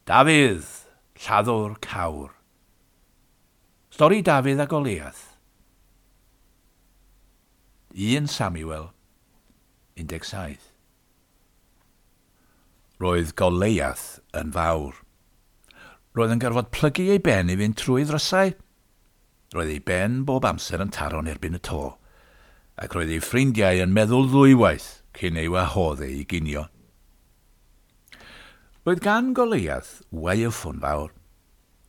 Dafydd, lladdwr cawr. Stori Dafydd a Goliath. 1 Samuel 17. Roedd Goliath yn fawr. Roedd yn gorfod plygu ei ben i fynd trwy ddrysau. Roedd ei ben bob amser yn taro'n erbyn y to, ac roedd ei ffrindiau yn meddwl ddwywaith cyn ei wahodd e i ginio. Roedd gan Goliath waywffon fawr,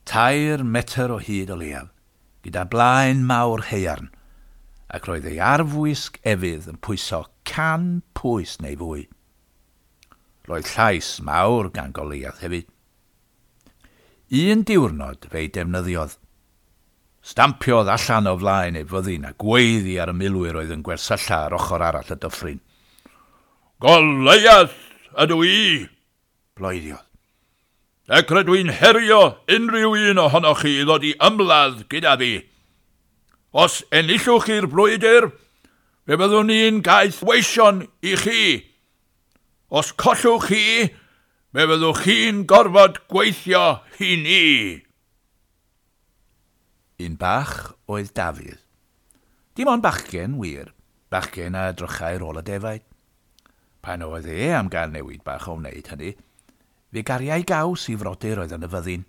3 metr o hyd o leiaf, gyda blaen mawr haearn, ac roedd ei arfwisg efydd yn pwyso 100 pwys neu fwy. Roedd llais mawr gan Goliath hefyd. Un diwrnod fe'i defnyddiodd. Stampiodd allan o flaen ei fyddin a gweiddi ar y milwyr oedd yn gwersylla ar ochr arall y dyffryn. Goliath ydw i, bloeddiodd. Ac rydw i'n herio unrhyw un ohonoch chi i ddod i ymladd gyda fi. Os enillwch chi'r brwydr, fe fyddwn ni'n gaeth weision i chi. Os collwch chi, fe fyddwch chi'n gorfod gweithio i ni. Un bach oedd Dafydd. Dim ond bachgen, wir, bachgen a edrychai ar ôl y defaid. Pan oedd e am gael newid bach o wneud hynny, fe gariai gaws i frodyr oedd yn y fyddin.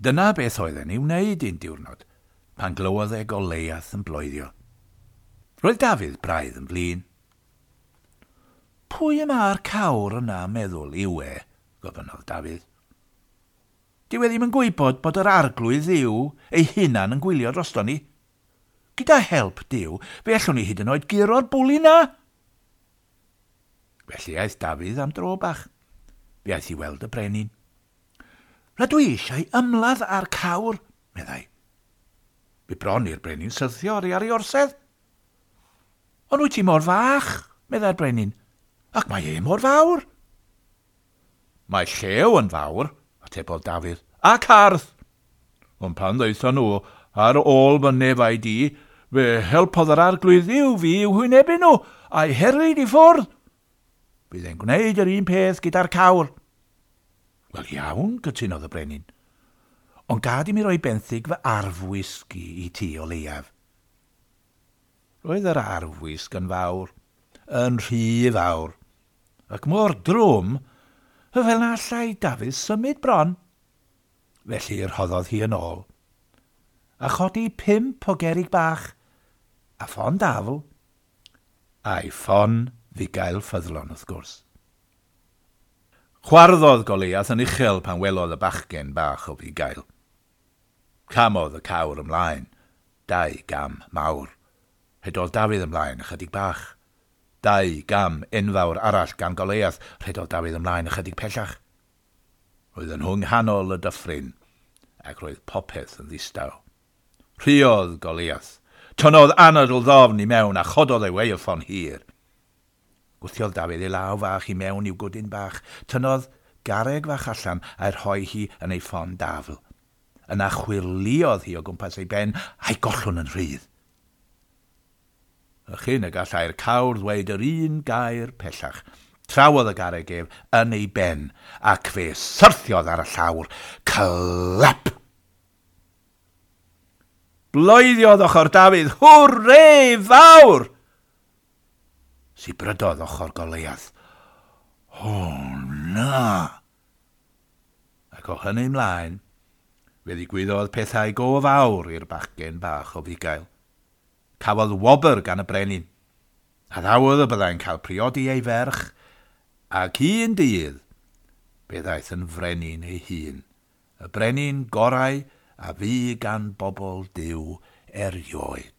Dyna beth oedd e'n ei wneud un diwrnod, pan glywodd e Goliath yn bloeddio. Roedd Dafydd braidd yn flin. Pwy y mae'r cawr yna meddwl yw e, gofynnodd Dafydd. Dyw e ddim yn gwybod bod yr arglwydd Dduw ei hunan yn gwylio drosto ni. Gyda help Duw, fe allwn ni hyd yn oed guro'r bwli na. Felly aeth Dafydd am dro bach. Fe aeth i weld y brenin. Rydw i eisiau ymladd â'r cawr, meddai. Bu bron i'r brenin syrthio oddi ar ei orsedd. Ond wyt ti mor fach, meddai'r brenin, ac mae e mor fawr. Mae llew yn fawr, atebodd Dafydd, ac arth. Ond pan ddaethon nhw ar ôl fy nefaid i, fe helpodd yr arglwydd Dduw fi i'w hwynebu nhw, a'i herlid i ffwrdd. Bydd e'n gwneud yr un peth gyda'r cawr. Wel iawn, cytunodd y brenin. Ond gad i mi roi benthyg fy arfwisg i ti o leiaf. Roedd yr arfwisg yn fawr, yn rhy fawr, ac mor drwm, fel na allai Dafydd symud bron. Felly rhoddodd hi yn ôl, a chodi 5 o gerrig bach, a ffon dafl, a'i ffon fugail ffyddlon wrth gwrs. Chwarddodd Goliath yn uchel pan welodd y bachgen bach o fugail. Camodd y cawr ymlaen, 2 gam mawr. Rhedodd Dafydd ymlaen ychydig bach. 2 gam enfawr arall gan Goliath, rhedodd Dafydd ymlaen ychydig pellach. Roedd yn nhw nghanol y dyffryn, ac roedd popeth yn ddistaw. Rhuodd Goliath. Tynnodd anadl ddofn i mewn a chododd ei waywffon hir. Gwthiodd Dafydd ei law fach i mewn i'w gwdyn bach. Tynnodd garreg fach allan a'i rhoi hi yn ei ffon dafl. Yna chwyrlïodd hi o gwmpas ei ben a'i gollwng yn rhydd. A chyn y gallai'r cawr ddweud yr un gair pellach, trawodd y garreg ef yn ei ben, ac fe syrthiodd ar y llawr. Clap! Bloeddiodd ochr Dafydd, hwrê fawr! Sibrydodd ochr Goliath. O, na! Ac o hynny ymlaen, fe ddigwyddodd pethau go fawr i'r bachgen bach o fugail. Cafodd wobr gan y brenin. Addawodd y byddai'n cael priodi ei ferch, ac un dydd, fe ddaeth yn frenin ei hun, y brenin gorau a fu gan bobl Duw erioed.